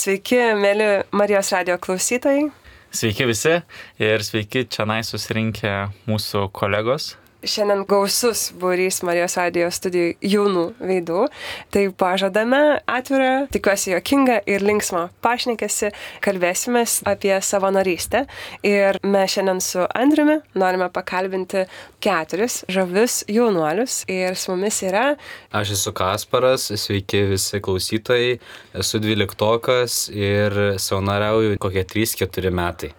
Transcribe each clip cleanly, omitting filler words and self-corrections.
Sveiki, mėly Marijos radijo klausytojai. Sveiki visi ir sveiki čionai susirinkę mūsų kolegos. Šiandien gausus būrys Marijos radijo studijų jaunų veidų. Tai pažadame atvirą, tikiuosi juokingą ir linksmą pašnekesį. Kalbėsimės apie savanorystę. Ir mes šiandien su Andriumi norime pakalbinti 4 žavius jaunuolius. Ir su mumis yra... Aš esu Kasparas, sveiki visi klausytojai. Esu 12-okas ir savanoriauju kokie 3-4 metai.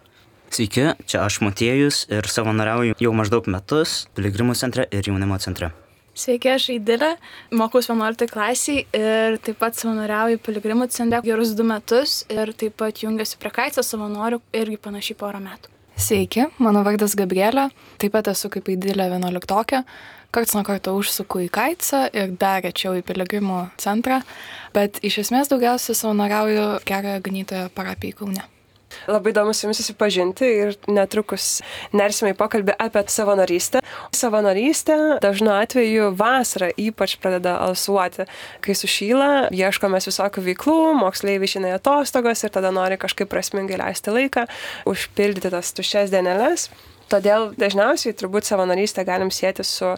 Sveiki, čia aš Motiejus ir savanoriauju jau maždaug metus Piligrimų centre ir jaunimo centre. Sveiki, aš Aidilė, mokaus 11 klasiai ir taip pat savanoriauju Piligrimų centre gerus 2 metus ir taip pat jungiuosi prie Kaitso savanorių irgi panašiai porą metų. Sveiki, mano vardas Gabrielė, taip pat esu kaip Aidilė 11-okė. Karts nuo karto užsuku į Kaitsą ir dar rečiau į Piligrimų centrą, bet iš esmės daugiausiai savanoriauju Gerąją Ganytojo parapijai Kaune. Labai įdomu su jumis susipažinti ir netrukus nersime į pokalbį apie savanorystę. Savanorystė dažnu atveju vasarą ypač pradeda alsuoti. Kai sušyla, ieškome visokių veiklų, moksleiviai išeina į atostogas ir tada nori kažkaip prasmingai leisti laiką, užpildyti tas tuščias dieneles. Todėl dažniausiai turbūt savanorystę galim sieti su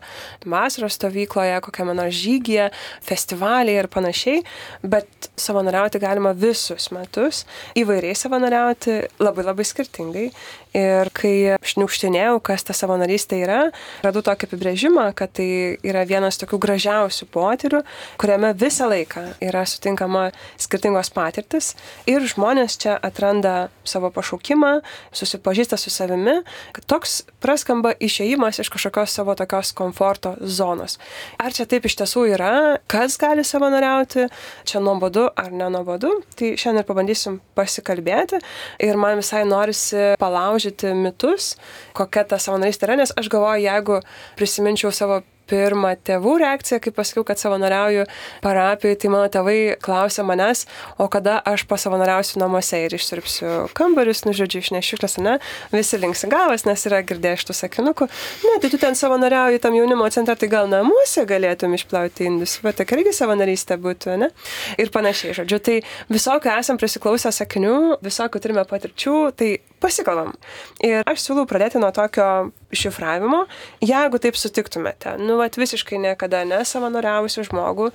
vasaros stovykloje, kokiame nors žygyje, festivaliai ir panašiai, bet savanoriauti galima visus metus, įvairiai savanoriauti, labai skirtingai. Ir kai šniukštinėjau, kas ta savanorystė yra, radau tokį apibrėžimą, kad tai yra vienas tokių gražiausių potyrių, kuriame visą laiką yra sutinkama skirtingos patirtis ir žmonės čia atranda savo pašaukimą, susipažįsta su savimi, kad toks praskamba išėjimas iš kažkokios savo tokios komforto zonos. Ar čia taip iš tiesų yra, kas gali savanoriauti, čia nuobodu ar nenuobodu, tai šiandien ir pabandysim pasikalbėti ir man visai norisi palaužti mitus, kokia ta savanorystė yra, nes aš galvoju, jeigu prisiminčiau savo pirmą tėvų reakciją, kai pasakiau, kad savanoriauju parapijai, tai mano tėvai klausė manęs, o kada aš pasavanoriausiu namuose ir išsiurbsiu kambarius, žodžiu, išnešiu šiukšles, ne? Visi linksi galvas, nes yra girdėję šitų sakinukų. Ne, tai tu ten savanoriauji tam jaunimo centre, tai gal namuose galėtum išplauti indus, bet tai irgi savanorystė būtų, ne? Ir panašiai, žodžiu, tai visokių esam prisiklausę sakinių, visokių turime patirčių, tai pasikalbam. Ir aš siūlau pradėti nuo tokio šifravimo, jeigu taip sutiktumėte, visiškai niekada nesavanoriavusi žmogų,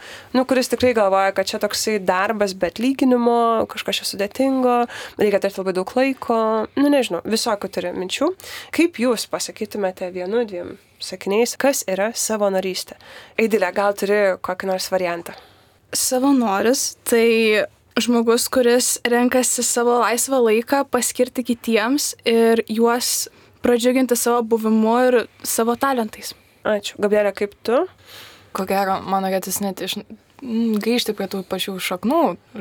kuris tikrai galvoja, kad čia toksai darbas be atlyginimo, kažkas čia sudėtingo, reikia turėti labai daug laiko, nežinau, visokių turi minčių. Kaip jūs pasakytumėte 1-2 sakiniais, kas yra savanorystė? Aidilė, gal turi kokį nors variantą? Savanoris tai žmogus, kuris renkasi savo laisvą laiką paskirti kitiems ir juos pradžiuginti savo buvimu ir savo talentais. Ačiū. Gabrielė, kaip tu? Ko gero, man norėtis net grįžti prie tų pačių šaknų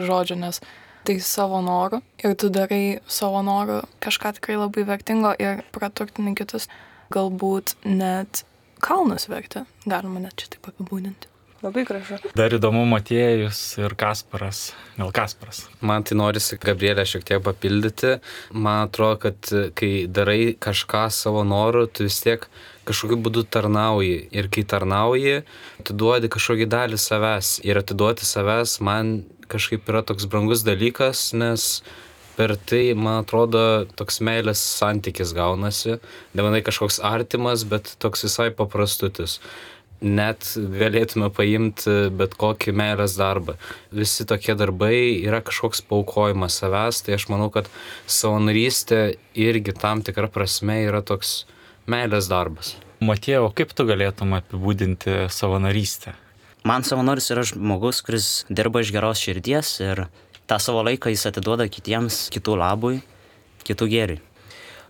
žodžių, nes tai savo noru ir tu darai savo noru kažką tikrai labai vertingo ir praturtini kitus. Galbūt net kalnus verti, galima net čia taip apibūdinti. Labai gražu. Dar įdomu Motiejus ir Kasparas. Gal Kasparas? Man tai norisi Gabrielę šiek tiek papildyti. Man atrodo, kad kai darai kažką savo noru, tu vis tiek kažkokiu būdu tarnauji. Ir kai tarnauji, tu duodi kažkokį dalį savęs. Ir atiduoti savęs man kažkaip yra toks brangus dalykas, nes per tai, man atrodo, toks meilės santykis gaunasi. Nemanai kažkoks artimas, bet toks visai paprastutis. Net galėtume paimti bet kokį meilės darbą. Visi tokie darbai yra kažkoks paaukojimas savęs, tai aš manau, kad savanorystė irgi tam tikra prasme yra toks meilės darbas. Motiejau, kaip tu galėtum apibūdinti savanorystę? Man savanoris yra žmogus, kuris dirba iš geros širdies ir tą savo laiką jis atiduoda kitiems, kitų labui, kitų gėriui.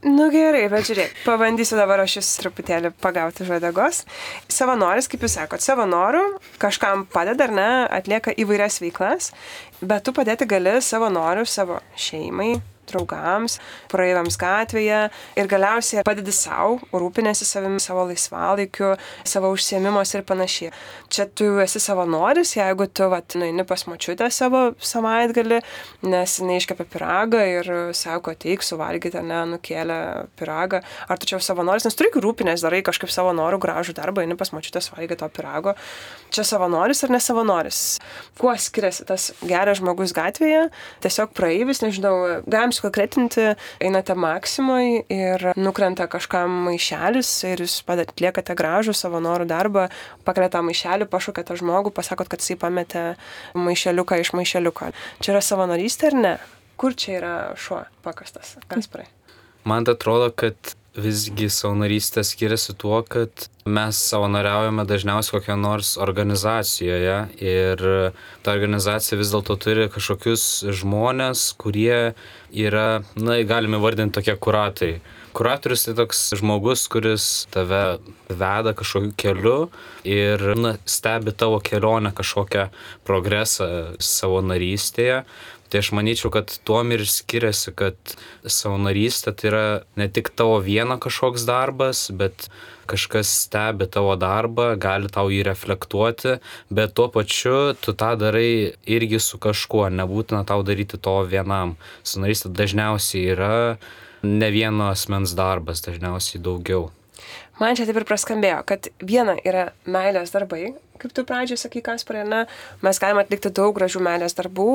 Gerai, bet žiūrėk, pabandysiu dabar aš jūs truputėlį pagauti žodegos. Savanoris, kaip jūs sakot, savanorių kažkam padeda ar ne, atlieka įvairias veiklas, bet tu padėti gali savanorių savo šeimai, draugams, praeiviams gatvėje ir galiausiai padedi savo, rūpinėsi savimi, savo laisvalaikiu, savo užsiėmimuose ir panašiai. Čia tu esi savanoris, jeigu tu nueini pas močiutę savo savaitgalį, nes jinai iškepė pyragą ir sako, ateik suvalgyti, nukėlė pyragą. Ar tu čia savanoris, nes turi rūpinės, darai kažkaip savo norų gražų darbą, eini pas močiutę suvalgyti to pyrago. Čia savanoris ar nesavanoris? Kuo skiriasi tas geras žmogus gatvėje? Tiesiog praeivis, nežinau, galim sukonkretinti, einate Maksimoj ir nukrenta kažkam maišelis ir jūs atliekate gražų savo norų darbą, pakeliate maišelį, pašaukėte žmogų, pasakot, kad jisai pametė maišeliuką iš maišeliuko. Čia yra savanorystė ar ne? Kur čia yra šuo pakastas? Kasparai? Man atrodo, kad visgi savanorystė skiriasi tuo, kad mes savanoriaujame dažniausiai kokioje nors organizacijoje ir ta organizacija vis dėlto turi kažkokius žmonės, kurie yra, galime vardinti tokie kuratoriai. Kuratorius tai toks žmogus, kuris tave veda kažkokiu keliu ir stebi tavo kelionę, kažkokią progresą savanorystėje. Tai aš manyčiau, kad tuom ir skiriasi, kad savanorystė tai yra ne tik tavo vieno kažkoks darbas, bet kažkas stebi tavo darbą, gali tau jį reflektuoti, bet tuo pačiu tu tą darai irgi su kažkuo, nebūtina tau daryti to vienam. Savanorystė dažniausiai yra ne vieno asmens darbas, dažniausiai daugiau. Man čia taip ir praskambėjo, kad viena yra meilės darbai, kaip tu pradžioj sakai, Kasparai, mes galime atlikti daug gražių meilės darbų,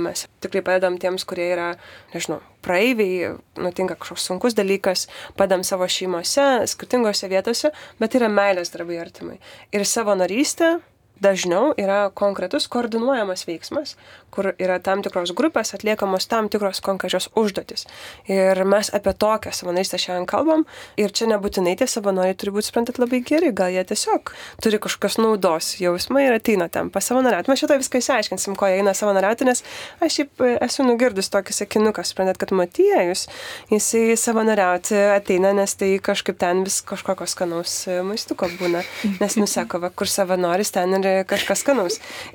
mes tikrai padedam tiems, kurie yra, nežinau, praeiviai, nutinka kažkoks sunkus dalykas, padedam savo šeimose, skirtingose vietose, bet yra meilės darbai artimai. Ir savanorystė dažniau yra konkretus koordinuojamas veiksmas, kur yra tam tikros grupės atliekamos tam tikros konkrečios užduotis. Ir mes apie tokią savanorystę šiandien kalbam ir čia nebūtinai tie savanoriai turi būti, suprantat, labai geri, gal jie tiesiog turi kažkokios naudos jausmą ir ateina ten pasavanoriauti. Mes šitą viską išsiaiškinsim, ko jie eina savanoriauti, nes aš šiaip esu nugirdus tokį sakinuką, suprantat, kad Motiejus, jisai savanoriauti ateina, nes tai kažkaip ten vis kažkokios skanaus maistuko būna, nes nusako, kur savanoris ten ir kažkas skanaus.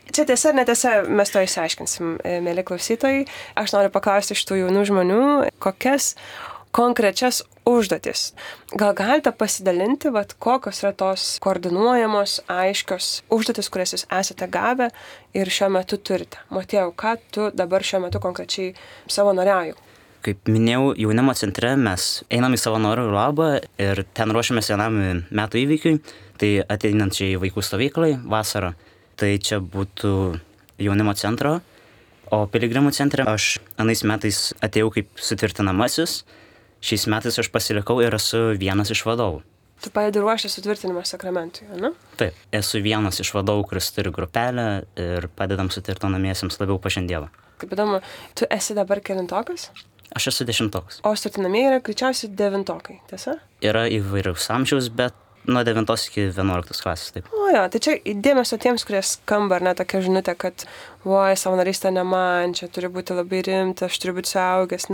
Čia tiesa ar netiesa, mes to išsiaiškinsim, mėly klausytojai. Aš noriu paklausti iš tų jaunų žmonių, kokias konkrečias užduotis. Gal galite pasidalinti, kokios yra tos koordinuojamos, aiškios užduotis, kurias jūs esate gavę ir šiuo metu turite. Motiejau, ką tu dabar šiuo metu konkrečiai savanoriauji? Kaip minėjau, jaunimo centre mes einam į savanorių labą ir ten ruošiamės vienam metų įvykiui, tai ateinančiai vaikų stovyklai vasarą. Tai čia būtų jaunimo centro, o piligrimų centre aš anais metais atėjau kaip sutvirtinamasis, šiais metais aš pasilikau ir esu vienas iš vadovų. Tu padedi ruošti sutvirtinimo sakramentui, ne? Taip, esu vienas iš vadovų, kuris turi grupelę ir padedam sutvirtinamiesiems labiau pažinti Dievą. Kaip įdomu, tu esi dabar kelintokas? Aš esu 10. O sutvirtinamieji yra greičiausiai 9, tiesa? Yra įvairiaus amžiaus, bet nuo 9 iki 11 klasės, taip. O jo, tai čia dėmesio tiems, kurie skamba, ar ne, tokia žinutė, kad savanorystė ne man, čia turi būti labai rimta, aš turiu būti suaugęs,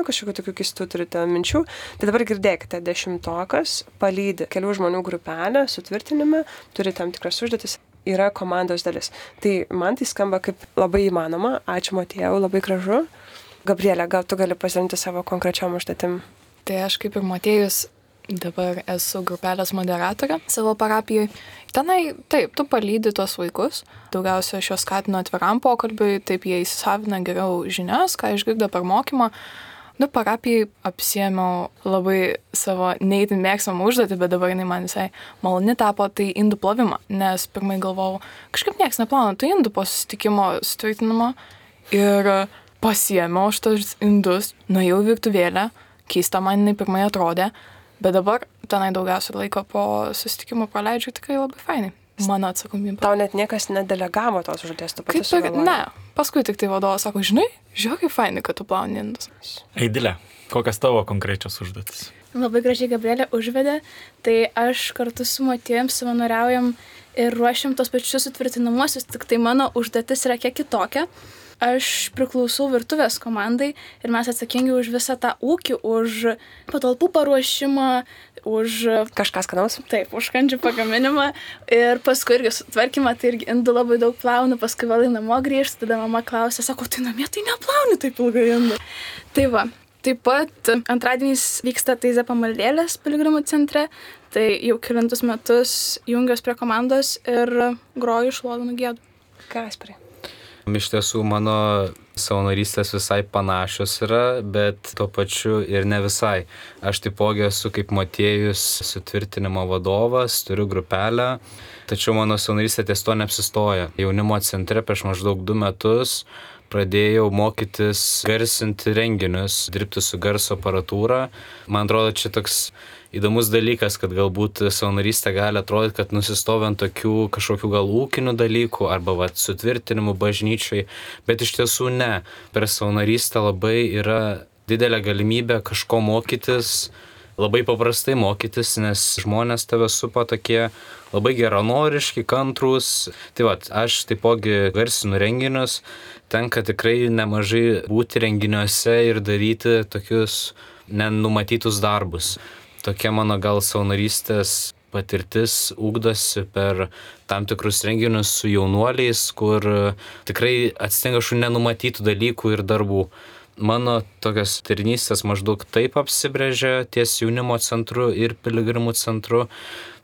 kažkokių tokių keistų turite minčių. Tai dabar girdėkite, 10 palydi kelių žmonių grupelę sutvirtinime, turi tam tikras užduotis, yra komandos dalis. Tai man tai skamba kaip labai įmanoma, ačiū Motiejau, labai gražu. Gabrielė, gal tu gali pasidalinti savo konkrečiom užduotim? Tai aš kaip ir Motiejus dabar esu grupelės moderatorė savo parapijoje. Tenai, taip, tu palydi tuos vaikus. Daugiausia aš juos skatinu atviram pokalbiui, taip jie įsisavina geriau žinias, ką išgirdo per mokymą. Parapijai apsiėmiau labai savo neįtin mėgstamą užduotį, bet dabar jinai man visai maloni tapo, tai indų plovimą. Nes pirmai galvojau, kažkaip nieks neplauna, tai indų po susitikimo sutvirtinimo ir pasiėmiau šitos indus, nuėjau į virtuvėlę, keista man jinai pirmai atrodė, bet dabar tenai daugiausia laiko po susitikimo praleidžiu tikrai labai fainai. Mano atsakomybė. Tau net niekas nedelegavo tos užduoties, tu pati sugalvojai? Ne, paskui tik tai vadovas sako, žinai, žiūrėk, kaip fainai, kad tu plauni indus. Eidilė, kokias tavo konkrečios užduotis? Labai gražiai Gabrielė užvedė, tai aš kartu su Motiejum savanoriaujam ir ruošiam tos pačius sutvirtinamuosius, tik tai mano užduotis yra kiek kitokia. Aš priklausau virtuvės komandai ir mes atsakingi už visą tą ūkį, už patalpų paruošimą, už... Kažkas skanaus? Taip, už kandžių pagaminimą ir paskui irgi sutvarkymą, tai irgi indų labai daug plaunu, paskui vėl į namo grįžtu, tada mama klausia, sako, tai namie tai neplauni taip ilgai indų. Tai va. Taip pat antradieniais vyksta Taizė pamaldėlės piligrimų centre, tai jau kelintus metus jungiuos prie komandos ir groju šlovinu gėdu. Kasparai. Iš tiesų mano savanorystės visai panašios yra, bet tuo pačiu ir ne visai. Aš taipogi esu kaip Motiejus sutvirtinimo vadovas, turiu grupelę, tačiau mano savanorystė ties to neapsistoja. Jaunimo centre prieš maždaug 2 metus pradėjau mokytis garsinti renginius, dirbti su garso aparatūra. Man atrodo, čia toks įdomus dalykas, kad galbūt savanorystė gali atrodyti, kad nusistovi ant tokių kažkokių gal ūkinių dalykų arba sutvirtinimų bažnyčiai, bet iš tiesų ne. Per savanorystę labai yra didelė galimybė kažko mokytis, labai paprastai mokytis, nes žmonės tave supa tokie labai geranoriški, kantrūs. Tai aš taipogi garsinu renginius, tenka tikrai nemažai būti renginiuose ir daryti tokius nenumatytus darbus. Tokia mano gal savanorystės patirtis ugdosi per tam tikrus renginius su jaunuoliais, kur tikrai atsitinka šių nenumatytų dalykų ir darbų. Mano tokios tarnystės maždaug taip apsibrėžia ties jaunimo centru ir piligrimų centru.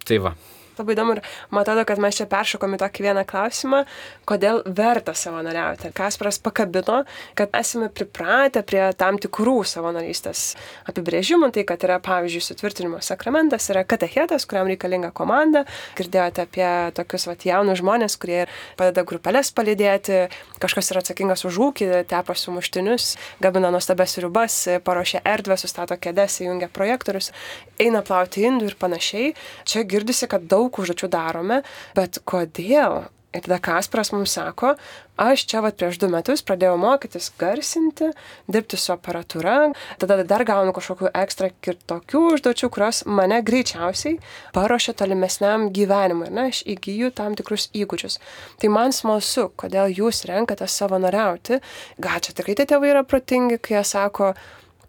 Tai va. Labai įdomu ir man atrodo, kad mes čia peršokom į tokį vieną klausimą, kodėl verta savanoriauti. Kasparas pakabino, kad esame pripratę prie tam tikrų savanorystės apibrėžimų, tai kad yra, pavyzdžiui, sutvirtinimo sakramentas, yra katechetas, kuriam reikalinga komanda. Girdėjote apie tokius jaunus žmonės, kurie padeda grupelės palydėti, kažkas yra atsakingas už ūkį, tepa sumuštinius, gabina nuostabias sriubas, paruošia erdvę, sustato kėdes, įjungia projektorius, eina plauti indų ir panašiai. Čia girdisi, kad daug užduočių darome, bet kodėl? Ir tada Kasparas mums sako, aš čia prieš 2 metus pradėjau mokytis garsinti, dirbti su aparatūra, tada dar gaunu kažkokių ekstra kitokių užduočių, kurios mane greičiausiai paruošia tolimesniam gyvenimui, aš įgyju tam tikrus įgūdžius. Tai man smalsu, kodėl jūs renkate savanoriauti. Gal čia tikrai tie tėvai yra protingi, kai jie sako,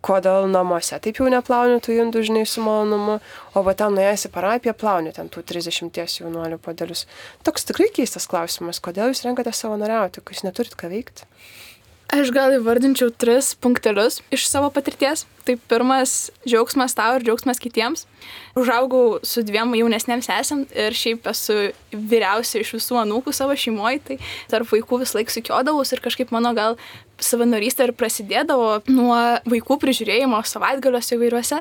kodėl namuose taip jau neplauni tų indų, žinai, su malonumu, o ten nuėjęs į parapiją plauni ten tų 30 jaunuolių puodelius. Toks tikrai keistas klausimas, kodėl jūs renkate savanoriauti, kai jūs neturit ką veikti? Aš gal įvardinčiau 3 punktelius iš savo patirties. Tai pirmas - džiaugsmas tau ir džiaugsmas kitiems. Užaugau su 2 jaunesnėm sesėm ir šiaip esu vyriausia iš visų anūkų savo šeimoje, tai tarp vaikų vis laik sukiodavus ir kažkaip mano gal savanorystė ir prasidėdavo nuo vaikų prižiūrėjimo savaitgaliuose įvairiuose.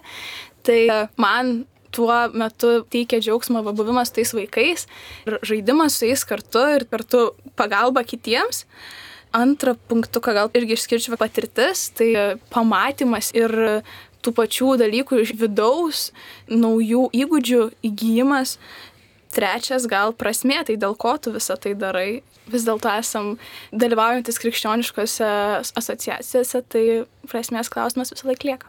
Tai man tuo metu teikia džiaugsmą buvimas su tais vaikais ir žaidimas su jais kartu ir kartu pagalba kitiems. Antrą punktuką gal irgi išskirčiau patirtis, tai pamatymas ir tų pačių dalykų iš vidaus, naujų įgūdžių įgyjimas. Trečias gal prasmė, tai dėl ko tu visą tai darai. Vis dėlto esam dalyvaujantis krikščioniškose asociacijose, tai prasmės klausimas visą laiką lieka.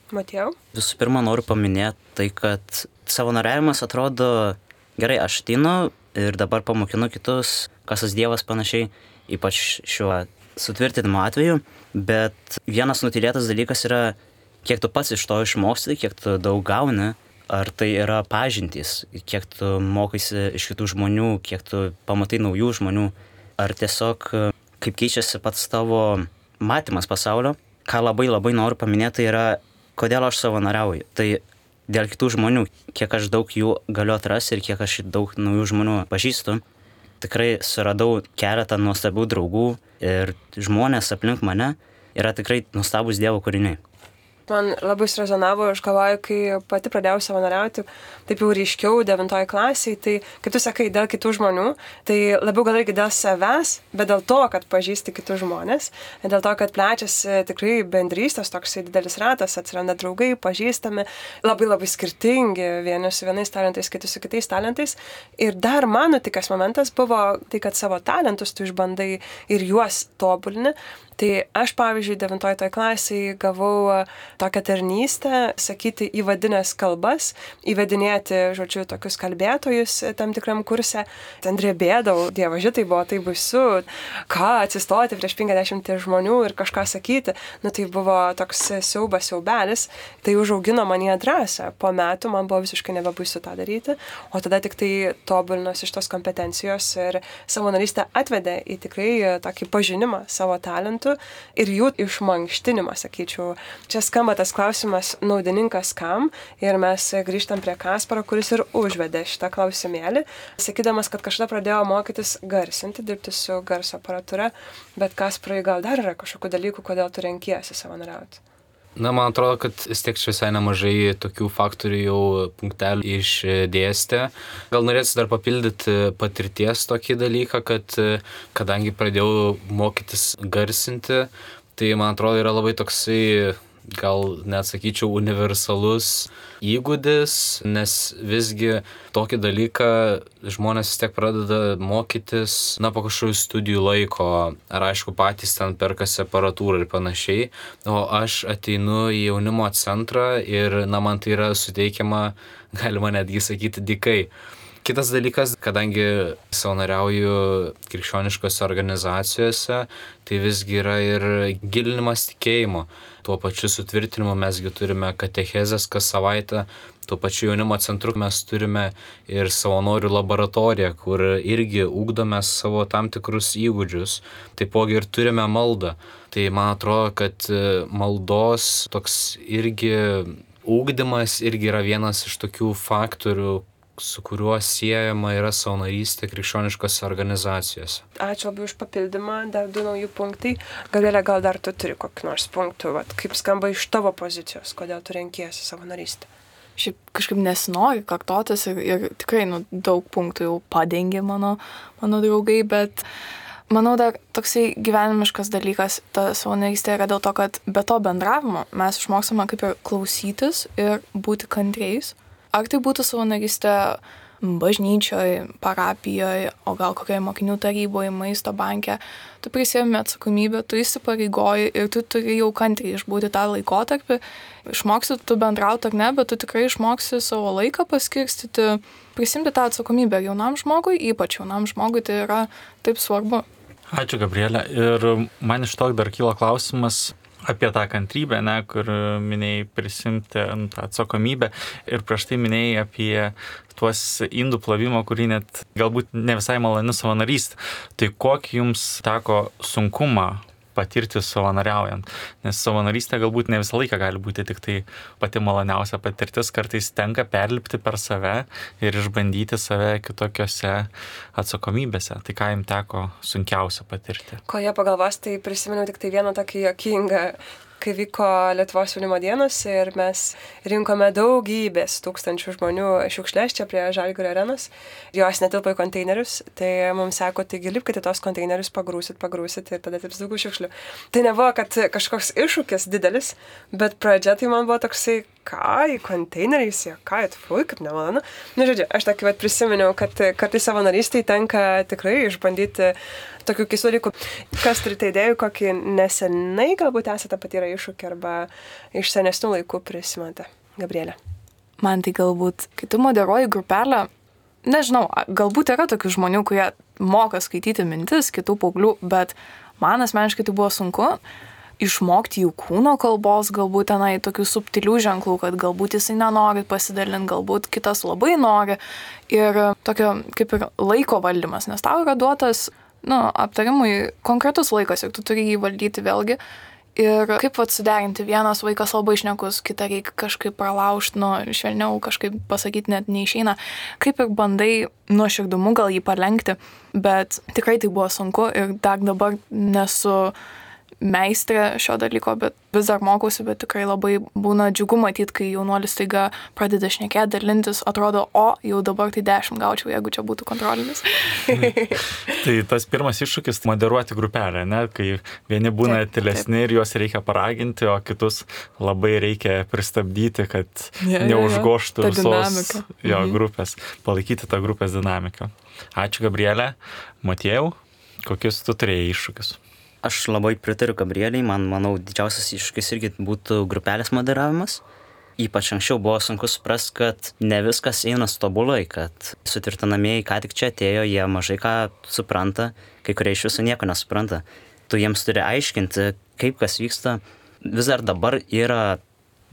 Matėjau? Visų pirma, noriu paminėti tai, kad savanoriavimas atrodo gerai, aš ateinu ir dabar pamokinu kitus, kas tas Dievas panašiai, ypač šiuo sutvirtinimo atveju, bet vienas nutylėtas dalykas yra, kiek tu pats iš to išmoksti, kiek tu daug gauni, ar tai yra pažintys, kiek tu mokaisi iš kitų žmonių, kiek tu pamatai naujų žmonių, ar tiesiog kaip keičiasi pats tavo matymas pasaulio. Ką labai noriu paminėti, tai yra, kodėl aš savanoriauju. Tai dėl kitų žmonių, kiek aš daug jų galiu atrasti ir kiek aš daug naujų žmonių pažįstu. Tikrai suradau keletą nuostabių draugų ir žmonės aplink mane yra tikrai nuostabūs Dievo kūriniai. Man labai surezonavo, aš galvoju, kai pati pradėjau savanoriauti, taip jau ryškiau 9 klasėje, tai kaip tu sakai, dėl kitų žmonių, tai labiau gal irgi dėl savęs, bet dėl to, kad pažįsti kitus žmonės, dėl to, kad plečiasi tikrai bendrystės, toksai didelis ratas, atsiranda draugai, pažįstami, labai skirtingi, vieni su vienais talentais, kiti su kitais talentais. Ir dar mano tikras momentas buvo tai, kad savo talentus tu išbandai ir juos tobulini. Tai aš, pavyzdžiui, 9 klasėje gavau tokią tarnystę, sakyti įvadinės kalbas, įvedinėti, žodžiu, tokius kalbėtojus tam tikram kurse. Ten drebėdavau, dievaži, tai buvo tai baisu, ką atsistoti prieš 50 žmonių ir kažką sakyti. Nu, tai buvo toks siaubelis, tai užaugino manyje drąsą. Po metų man buvo visiškai nebebaisu tą daryti, o tada tik tai tobulinos iš tos kompetencijos ir savanorystė atvedė į tikrai tokį pažinimą savo talentų ir jų išmankštinimą, sakyčiau. Čia skamba tas klausimas naudininkas kam ir mes grįžtam prie Kasparo, kuris ir užvedė šitą klausimėlį, sakydamas, kad kažkada pradėjo mokytis garsinti, dirbti su garso aparatūra, bet Kasparai gal dar yra kažkokių dalykų, kodėl tu renkiesi savanoriauti? Na, man atrodo, kad vis tiek čia visai nemažai tokių faktorių jau punktelių išdėstė. Gal norėčiau dar papildyti patirties tokį dalyką, kad kadangi pradėjau mokytis garsinti, tai man atrodo yra labai toksai, gal net sakyčiau, universalus įgūdis, nes visgi tokį dalyką žmonės vis tiek pradeda mokytis, na, po kažkokių studijų laiko, ar aišku patys ten perkasi aparatūrą ir panašiai, o aš ateinu į jaunimo centrą ir, na, man tai yra suteikiama, galima netgi sakyti, dykai. Kitas dalykas, kadangi savanoriauju krikščioniškose organizacijose, tai visgi yra ir gilinimas tikėjimo. Tuo pačiu sutvirtinimu mesgi turime katechezes kas savaitę, tuo pačiu jaunimo centru mes turime ir savanorių laboratoriją, kur irgi ugdome savo tam tikrus įgūdžius. Taipogi ir turime maldą. Tai man atrodo, kad maldos toks irgi ugdymas irgi yra vienas iš tokių faktorių, su kuriuo siejama yra savanorystė krikščioniškose organizacijose. Ačiū labai už papildymą, dar 2 nauji punktai. Gabrielė, gal dar tu turi kokį nors punktų, kaip skamba iš tavo pozicijos, kodėl tu renkiesi savanorystę? Šiaip kažkaip nesinori kartotis ir tikrai daug punktų jau padengė mano draugai, bet manau dar toksai gyvenimiškas dalykas, ta savanorystė yra dėl to, kad be to bendravimo mes išmoksime kaip ir klausytis ir būti kantriais. Ar tai būtų savanorystė bažnyčioje, parapijoje, o gal kokioje mokinių taryboje, maisto banke, tu prisiemi atsakomybę, tu įsipareigoji ir tu turi jau kantriai išbūti tą laikotarpį. Išmoksi tu bendrauti ar ne, bet tu tikrai išmoksi savo laiką paskirstyti, prisimti tą atsakomybę jaunam žmogui, ypač jaunam žmogui, tai yra taip svarbu. Ačiū, Gabrielė. Ir man iš to dar kyla klausimas apie tą kantrybę, kur minėjai prisimti tą atsakomybę ir prieš tai minėjai apie tuos indų plovimo, kurį net galbūt ne visai maloni savanorystė. Tai kokį jums teko sunkumą patirti savanoriaujant? Nes savanorystė galbūt ne visą laiką gali būti tik tai pati maloniausia patirtis, kartais tenka perlipti per save ir išbandyti save kitokiose atsakomybėse. Tai ką jums teko sunkiausia patirti? Ko jie pagalvos, tai prisimenu tik tai vieną tokį juokingą, kai vyko Lietuvos jaunimo dienos ir mes rinkome daugybės tūkstančių žmonių šiukšles čia prie Žalgirio arenos. Jos netilpo į konteinerius, tai mums sako, taigi lipkite tos konteinerius, pagrūsit ir tada tilps daugiau šiukšlių. Tai nebuvo, kad kažkoks iššūkis didelis, bet pradžia tai man buvo toksai, ką į konteineriais, ką atfui, kaip nemalonu. Žodžiu, aš tokį prisiminiau, kad kartais savanorystėj tenka tikrai išbandyti tokių keistų dalykų. Kas turite idėjų, kokį nesenai galbūt esate patyrę iššūkį arba iš senesnių laikų prisimate? Gabrielė. Man tai galbūt, kai tu moderuoji grupelę, nežinau, galbūt yra tokių žmonių, kurie moka skaityti mintis, kitų paauglių, bet man asmeniškai tai buvo sunku išmokti jų kūno kalbos, galbūt tenai tokių subtilių ženklų, kad galbūt jisai nenori pasidalinti, galbūt kitas labai nori. Ir tokio kaip ir laiko valdymas, nes tau yra duotas, aptarimui konkretus laikas ir tu turi jį valdyti vėlgi. Ir kaip suderinti, vienas vaikas labai šnekus, kitą reikia kažkaip pralaužti, švelniau kažkaip pasakyti net neišeina. Kaip ir bandai nuoširdumu gal jį palenkti, bet tikrai tai buvo sunku ir dar dabar nesu meistrė šio dalyko, bet vis dar mokausi, bet tikrai labai būna džiugu matyti, kai jaunuolis staiga pradeda šnekėti, dalintis, atrodo, jau dabar tai 10 gaučiau, jeigu čia būtų kontrolinis. Tai tas pirmas iššūkis - moderuoti grupelę, kai vieni būna tylesni ir juos reikia paraginti, o kitus labai reikia pristabdyti, kad neužgoštų visos grupės, palaikyti tą grupės dinamiką. Ačiū, Gabrielė. Motiejau, kokius tu turėjai iššūkius? Aš labai pritariu Gabrieliai, manau, didžiausias iššūkis irgi būtų grupelės moderavimas. Ypač anksčiau buvo sunku suprasti, kad ne viskas eina tobulai, kad sutvirtinamieji ką tik čia atėjo, jie mažai ką supranta, kai kurie iš viso nieko nesupranta. Tu jiems turi aiškinti, kaip kas vyksta. Vis dar dabar yra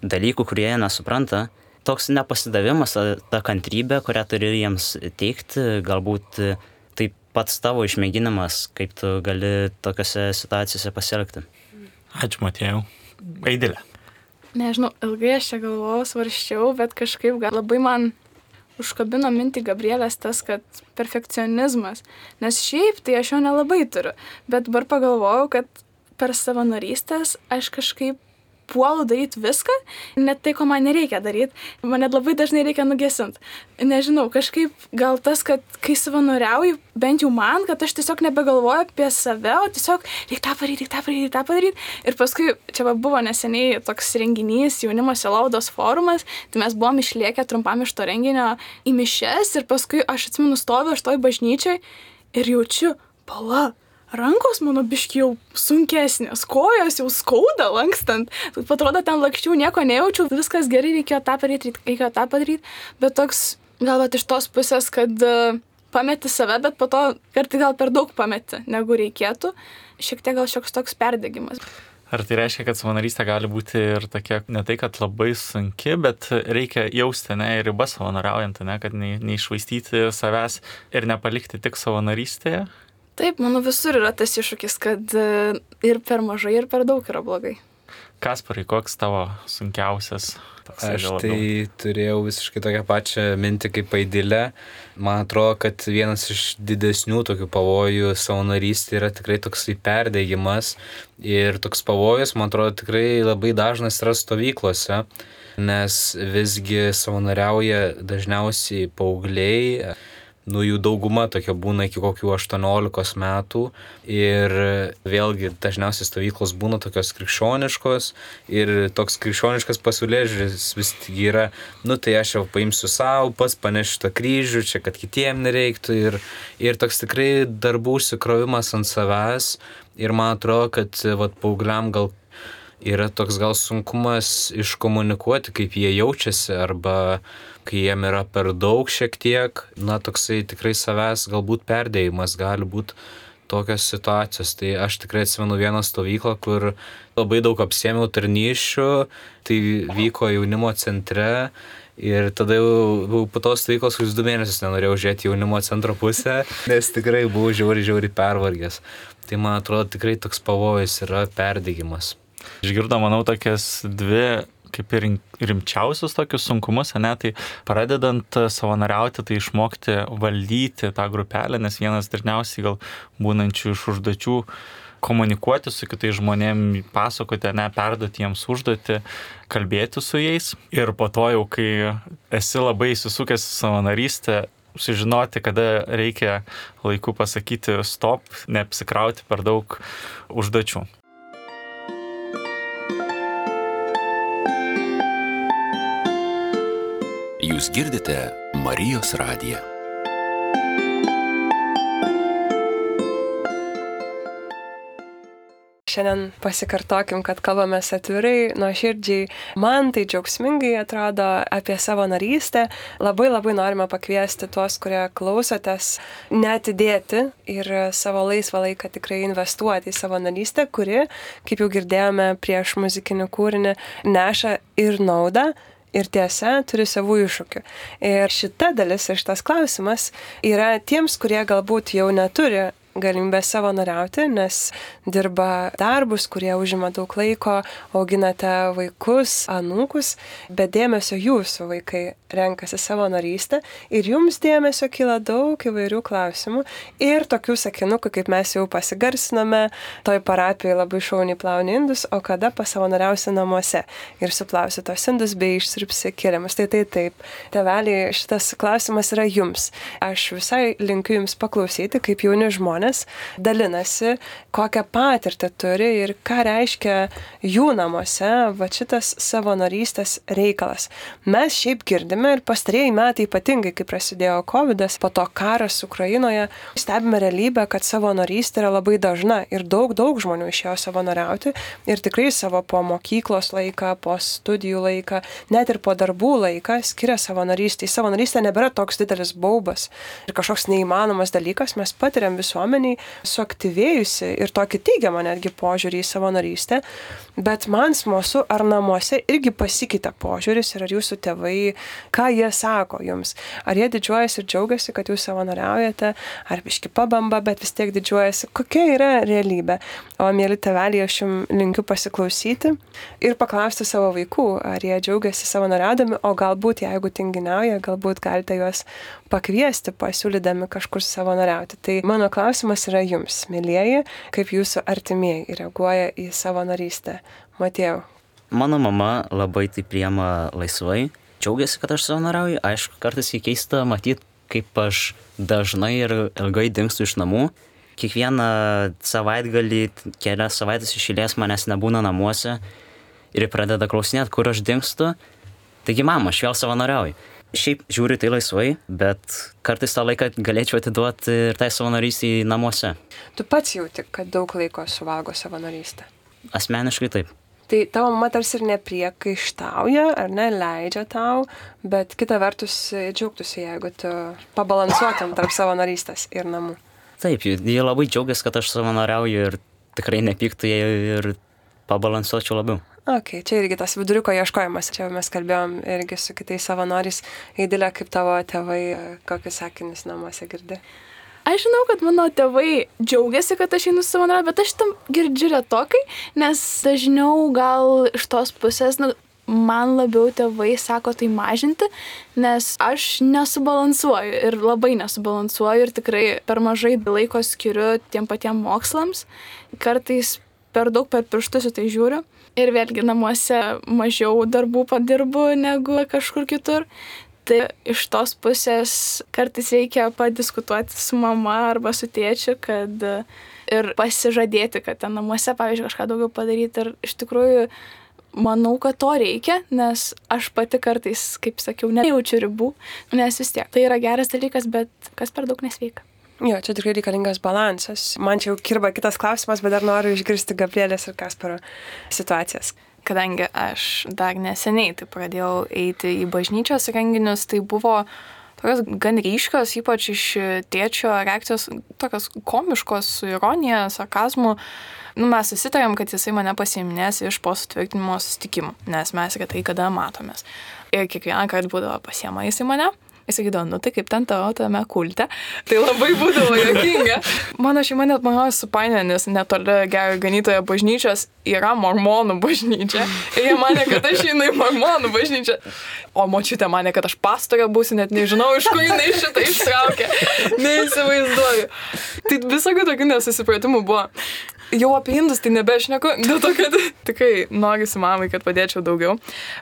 dalykų, kurie jie nesupranta. Toks nepasidavimas, ta kantrybė, kurią turi jiems teikti, galbūt tai pats tavo išmėginimas, kaip tu gali tokiose situacijose pasielgti. Ačiū, Matėjau. Aidilė. Nežinau, ilgai aš čia galvojau, svarščiau, bet kažkaip labai man užkabino mintį Gabrielės tas, kad perfekcionizmas. Nes šiaip tai aš jo nelabai turiu. Bet dabar pagalvojau, kad per savanorystės aš kažkaip puolu daryti viską, net tai, ko man nereikia daryti. Man net labai dažnai reikia nugesinti. Nežinau, kažkaip gal tas, kad kai savanoriauju, bent jau man, kad aš tiesiog nebegalvoju apie save, o tiesiog reikia tą padaryti. Ir paskui čia buvo neseniai toks renginys, jaunimo sielovados forumas, tai mes buvom išlėkę trumpam iš to renginio į mišias ir paskui aš atsimenu stoviu aš toj bažnyčioj ir jaučiu, pala, rankos mano biški jau sunkesnės, kojos jau skauda lankstant. Atrodo, ten lakščiau, nieko nejaučiau, viskas gerai, reikėjo tą padaryti. Bet toks, galbūt iš tos pusės, kad pameti save, bet po to kartai gal per daug pameti, negu reikėtų. Šiek tiek gal šioks toks perdegimas. Ar tai reiškia, kad savanorystė gali būti ir tokia, ne tai, kad labai sunki, bet reikia jausti, ne, ir ribas savanoriaujant, ne, kad neišvaistyti savęs ir nepalikti tik savanorystėje? Taip, manau, visur yra tas iššūkis, kad ir per mažai, ir per daug yra blogai. Kasparai, koks tavo sunkiausias? Aš tai turėjau visiškai tokią pačią mintį kaip Aidilė. Man atrodo, kad vienas iš didesnių tokių pavojų savanorystė yra tikrai toksai perdėjimas. Ir toks pavojus, man atrodo, tikrai labai dažnas yra stovyklose, nes visgi savanoriauja dažniausiai paaugliai. Jų dauguma tokia būna iki kokių 18 metų ir vėlgi dažniausiai stovyklos būna tokios krikščioniškos ir toks krikščioniškas pasaulėžiūris vis tik yra, tai aš jau paimsiu savo, pats panešiu tą kryžių, čia kad kitiem nereiktų ir toks tikrai darbų užsikrovimas ant savęs ir man atrodo, kad paaugliam gal yra toks gal sunkumas iškomunikuoti, kaip jie jaučiasi arba kai jiem yra per daug šiek tiek, toksai tikrai savęs galbūt perdėjimas gali būti tokios situacijos. Tai aš tikrai atsimenu vieną stovyklą, kur labai daug apsiėmiau tarnysčių, tai vyko jaunimo centre ir tada jau po tos stovyklos 2 mėnesius nenorėjau žiūrėti jaunimo centro pusę, nes tikrai buvau žiauriai pervargęs. Tai man atrodo tikrai toks pavojus yra perdėjimas. Išgirdo, manau, tokias 2 kaip ir rimčiausius tokius sunkumus, tai pradedant savanoriauti, tai išmokti valdyti tą grupelę, nes vienas dažniausiai gal būnančių iš užduočių komunikuoti su kitais žmonėms, pasakoti, perduoti jiems užduotį, kalbėti su jais. Ir po to jau, kai esi labai įsisukęs į savanorystę, sužinoti, kada reikia laiku pasakyti stop, neapsikrauti per daug užduočių. Jūs girdite Marijos radiją. Šiandien pasikartokim, kad kalbamės atvirai, nuoširdžiai. Man tai džiaugsmingai atrodo apie savanorystę. Labai norime pakviesti tuos, kurie klausotės, neatidėti ir savo laisvą laiką tikrai investuoti į savanorystę, kuri, kaip jau girdėjome prieš muzikinį kūrinį, neša ir naudą. Ir tiesa, turi savų iššūkių. Ir šita dalis ir šitas klausimas yra tiems, kurie galbūt jau neturi galimybę savanoriauti, nes dirba darbus, kurie užima daug laiko, auginate vaikus, anūkus, bet dėmesio jūsų vaikai renkasi savanorystę ir jums dėmesio kyla daug įvairių klausimų ir tokių sakinukų, kaip mes jau pasigarsinome, toj parapijoje labai šauniai plauni indus, o kada pasavanoriausi namuose ir suplausi tos indus bei išsirpsi kilimus. Tai taip, tėveliai, šitas klausimas yra jums. Aš visai linkiu jums paklausyti, kaip jauni žmonės žmonės dalinasi, kokią patirtį turi ir ką reiškia jų namuose va šitas savanorystės reikalas. Mes šiaip girdime ir pastarieji metai ypatingai, kai prasidėjo COVID-as, po to karas Ukrainoje, stebime realybę, kad savanorystė yra labai dažna ir daug žmonių išėjo savanoriauti ir tikrai savo po mokyklos laiką, po studijų laiką, net ir po darbų laiką skiria savanorystę. Savanorystė nebėra toks didelis baubas ir kažkoks neįmanomas dalykas, mes patiriam visuomeniai suaktyvėjusi ir tokį teigiamą netgi požiūrį į savanorystę, bet man smalsu, ar namuose irgi pasikeitė požiūris ir ar jūsų tėvai, ką jie sako jums, ar jie didžiuojasi ir džiaugiasi, kad jūs savanoriaujate, ar biški pabamba, bet vis tiek didžiuojasi, kokia yra realybė. O mėly tėveliai, aš jums linkiu pasiklausyti ir paklausti savo vaikų, ar jie džiaugiasi savanoriaudami, o galbūt, jeigu tinginiauja, galbūt galite juos pakviesti, pasiūlydami kažkur savanoriauti. Tai mano klausimas yra jums, mėlyjeji, kaip jūsų artimieji reaguoja į savanorystę. Matėjau. Mano mama labai tai priima laisvai, džiaugiasi, kad aš savanoriauju. Aišku, kartais jį keista matyti, kaip aš dažnai ir ilgai dingstu iš namų. Kiekvieną savaitgalį, kelias savaitės iš eilės manęs nebūna namuose ir pradeda klausinėti, kur aš dingstu. Taigi, mama, aš vėl savanoriauju. Šiaip žiūriu tai laisvai, bet kartais tą laiką galėčiau atiduoti ir tai savanorystį namuose. Tu pats jauti, kad daug laiko suvalgo savanorystę? Asmeniškai taip. Tai tavo mama tarsi ir nepriekaištauja, ar ne, leidžia tau, bet kita vertus džiaugtųsi, jeigu tu pabalansuotum tarp savanorystės ir namų. Taip, jie labai džiaugiasi, kad aš savanoriauju ir tikrai nepyktų, jei ir pabalansuočiau labiau. Ok, čia irgi tas viduriuko ieškojimas. Čia mes kalbėjom irgi su kitais savanoriais. Eidilė, kaip tavo tėvai, kokius sakinius namuose girdi? Aš žinau, kad mano tėvai džiaugiasi, kad aš einu savanoriauti, bet aš tam girdžiu retokai, nes dažniau gal iš tos pusės, man labiau tėvai sako tai mažinti, nes aš nesubalansuoju ir labai nesubalansuoju ir tikrai per mažai laiko skiriu tiem patiem mokslams. Kartais per daug per pirštus į tai žiūriu. Ir vėlgi namuose mažiau darbų padirbu negu kažkur kitur. Tai iš tos pusės kartais reikia padiskutuoti su mama arba su tėčiu, kad ir pasižadėti, kad ten namuose, pavyzdžiui, kažką daugiau padaryti. Ir iš tikrųjų manau, kad to reikia, nes aš pati kartais, kaip sakiau, nejaučiu ribų, nes vis tiek tai yra geras dalykas, bet kas per daug nesveika. Jo, čia tikrai reikalingas balansas. Man čia jau kirba kitas klausimas, bet dar noriu išgirsti Gabrielės ir Kasparo situacijas. Kadangi aš dar neseniai tai pradėjau eiti į bažnyčios renginius, tai buvo tokios gan ryškios, ypač iš tėčio reakcijos, tokios komiškos, su ironija, sarkazmu. Mes susitarėm, kad jisai mane pasiiminės iš po sutvirtinimo susitikimų, nes mes retai kada matomės. Ir kiekvieną kartą būdavo pasiema jisai mane. Jis sakydavo, tai kaip ten tame kulte. Tai labai būdavo juokinga. Mano šeima net mano supainiojo, nes netoli Gero Ganytojo bažnyčios yra mormonų bažnyčia. Ir jie manė, kad aš einu į mormonų bažnyčią. O močiutė manė, kad aš pastorė būsiu, net nežinau, iš kur jinai šitą ištraukė. Neįsivaizduoju. Tai visokių tokių nesusipratimų buvo. Jau apie indus tai nebešneku, dėl to, kad tikrai norisi mamai, kad padėčiau daugiau.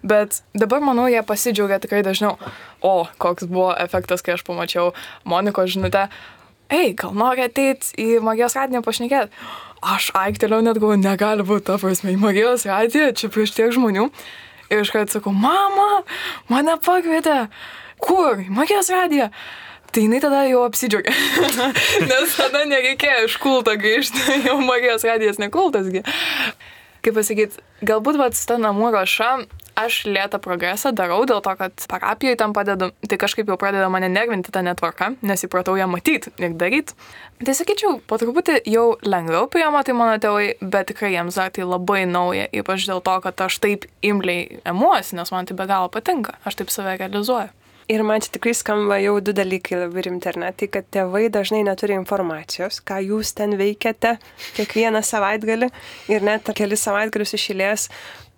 Bet dabar, manau, jie pasidžiaugia tikrai dažniau. O, koks buvo efektas, kai aš pamačiau Monikos žinutę. Ei, gal nori ateiti į Marijos radiją pašnekėti? Aš aiktelėjau net galvoju, negali būti ta prasme, į Marijos radiją, čia prieš tiek žmonių. Ir iš karto sakau, mama, mane pakvietė. Kur? Į Marijos radiją. Tai jinai tada jau apsidžiaugia, nes tada nereikėjo iš kulto grįžti, jau Marijos radijas nekultasgi. Kaip pasakyti, galbūt ta namų ruoša, aš lėtą progresą darau dėl to, kad parapijoje tam padedu, tai kažkaip jau pradeda mane nervinti tą netvarką, nes įpratau ją matyti ir daryti. Tai sakyčiau, po truputį jau lengviau priima tai mano tėvai, bet tikrai jiems dar tai labai nauja, ypač dėl to, kad aš taip imliai emuosi, nes man tai be galo patinka, aš taip save realizuoju. Ir man čia tikrai skamba jau du dalykai labai rimti, ar ne? Tai, kad tėvai dažnai neturi informacijos, ką jūs ten veikiate kiekvieną savaitgalį ir net kelis savaitgalius iš eilės,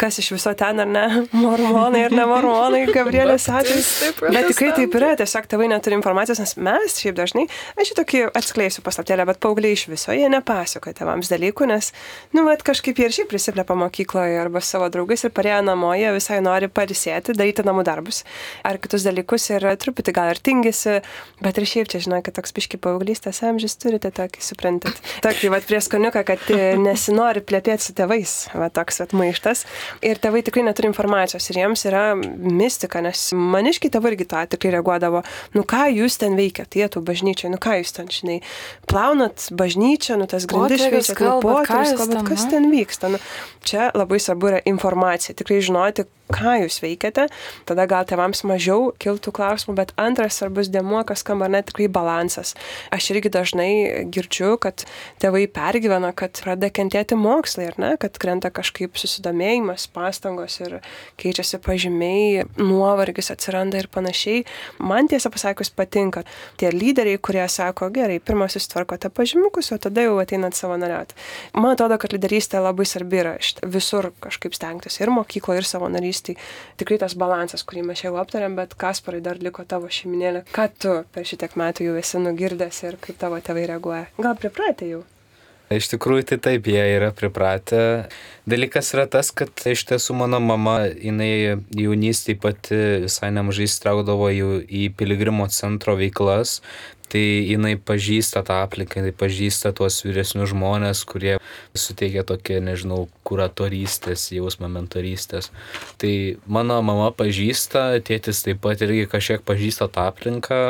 kas iš viso ten, ar ne, mormonai ar ne mormonai, Gabrielės atvejais. Bet tikrai taip yra, tiesiog tėvai neturi informacijos, nes mes šiaip dažnai, aš šitokį atskleisiu paslaptėlę, bet paaugliai iš viso, jie nepasakoja tėvams dalykų, nes, kažkaip jie ir šiaip prisiplepa mokykloje arba savo draugais ir parėję namo, jie visai nori pailsėti, daryti namų darbus ar kitus dalykus ir truputį gal ir tingisi, bet ir šiaip čia, žinau, kad toks biški paauglystės amžius turite tokį, suprantat. Tokį, prie skoniuką, kad nesinori plepėti su tėvais, toks maištas. Ir tėvai tikrai neturi informacijos ir jiems yra mistika, nes maniškiai tėvai irgi tą tikrai reaguodavo. Ką jūs ten veikiat, jie tų bažnyčiai, ką jūs ten, žinai, plaunat bažnyčią, tas grindis šveičiat, poterius kalbat, kas ten vyksta. Čia labai svarbu yra informacija, tikrai žinoti, ką jūs veikiate, tada gal tėvams mažiau kiltų klausimų, bet antras svarbus dėmuo, kas skamba, tikrai balansas. Aš irgi dažnai girdžiu, kad tėvai pergyvena, kad pradeda kentėti mokslai, kad krenta kažkaip susidomėjimas, pastangos ir keičiasi pažymiai, nuovargis atsiranda ir panašiai. Man tiesą pasakius patinka tie lyderiai, kurie sako, gerai, pirmą susitvarkote pažymiukus, o tada jau ateinat savanoriauti. Man atrodo, kad lyderystė labai svarbi yra visur kažkaip stengtis ir mokykloje, ir savanorystėje. Tikrai tas balansas, kurį mes jau aptarėm, bet Kasparai dar liko tavo šeiminėlė. Ką tu per šitiek metų jau esi nugirdęs ir kaip tavo tėvai reaguoja? Gal pripratę jau? Iš tikrųjų, tai taip, jie yra pripratę. Dalykas yra tas, kad iš tiesų mano mama, jinai jaunystėje pati visai nemažai įsitraukdavo į piligrimo centro veiklas. Tai jinai pažįsta tą aplinką, jinai pažįsta tuos vyresnius žmonės, kurie suteikia tokie, nežinau, kuratorystės, jausmą mentorystės. Tai mano mama pažįsta, tėtis taip pat irgi kažkiek pažįsta tą aplinką.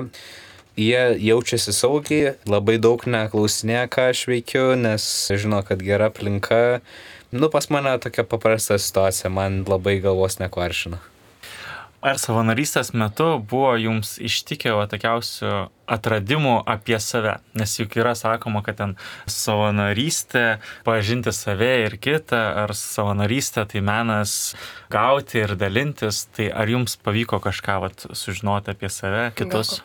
Jie jaučiasi saugiai, labai daug neklausinėja, ką aš veikiu, nes žino, kad gera aplinka. Pas mane tokia paprasta situacija, man labai galvos nekvaršina. Ar savanorystės metu buvo jums ištikę tokiausių atradimų apie save? Nes juk yra sakoma, kad ten savanorystė, pažinti save ir kitą, ar savanorystė tai menas gauti ir dalintis, tai ar jums pavyko kažką sužinoti apie save, kitus?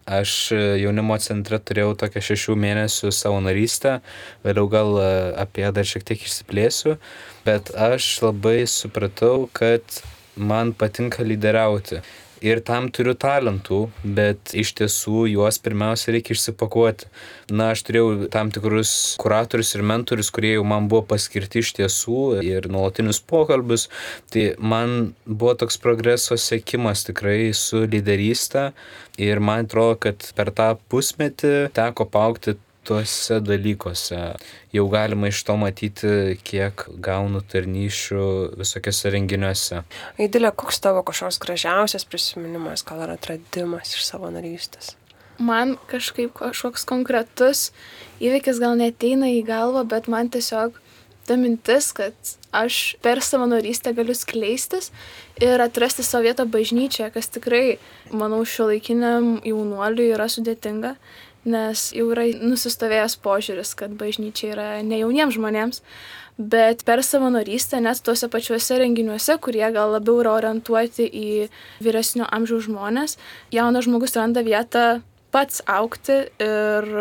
Aš jaunimo centre turėjau tokią 6 mėnesių savanorystę, vėliau gal apie ją dar šiek tiek išsiplėsiu, bet aš labai supratau, kad man patinka lyderiauti ir tam turiu talentų, bet iš tiesų juos pirmiausia reikia išsipakuoti. Aš turėjau tam tikrus kuratorius ir mentorius, kurie jau man buvo paskirti iš tiesų ir nuolatinius pokalbius. Tai man buvo toks progreso siekimas tikrai su lyderystė ir man atrodo, kad per tą pusmetį teko paaugti tuose dalykuose. Jau galima iš to matyti, kiek gaunu tarnysčių visokiose renginiuose. Aidilė, koks tavo kažkoks gražiausias prisiminimas, gal ar atradimas iš savanorystės? Man kažkoks konkretus įvykis gal neateina į galvą, bet man tiesiog ta mintis, kad aš per savanorystę galiu skleistis ir atrasti savo vietą bažnyčioje, kas tikrai, manau, šiuolaikiniam jaunuoliui yra sudėtinga. Nes jau yra nusistovėjęs požiūris, kad bažnyčia yra ne jauniems žmonėms, bet per savanorystę net tuose pačiuose renginiuose, kurie gal labiau yra orientuoti į vyresnio amžiaus žmonės, jaunas žmogus randa vietą pats augti ir